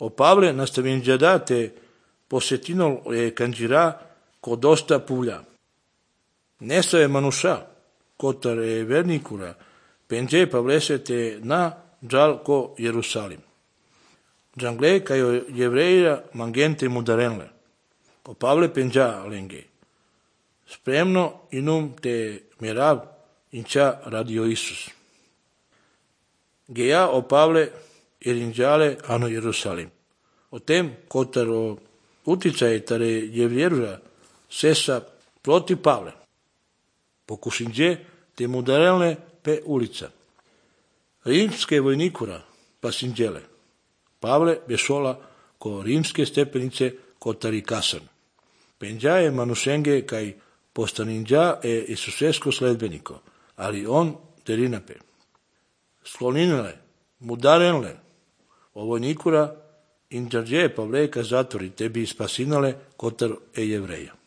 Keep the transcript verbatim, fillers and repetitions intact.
O Pavle nastavingiadate posjetinol e cangira codosta puglia. Nesta e manusha, kotar e vernicura, penge pavlesete na džal ko Jerusalim. Džangle kajo jevreja mangente mudarenle. O Pavle penja lenge. Spremno inum te merav inča radio Isus. Geja o Pavle erinjale ano Jerusalim. O tem kotar o uticaj tare jevjerja sesa proti Pavle. Pokušinđe te mudarelne pe ulica. Rimske vojnikura pa sinđele. Pavle bešola ko rimske stepenice kotari kasan. Penđa je manušenge kaj postaninđa e Isusesko sledbeniko, ali on derinape. Skloninele, mudarenle, o vojnikura inđađe Pavleka zatvori tebi spasinale kotar e jevreja.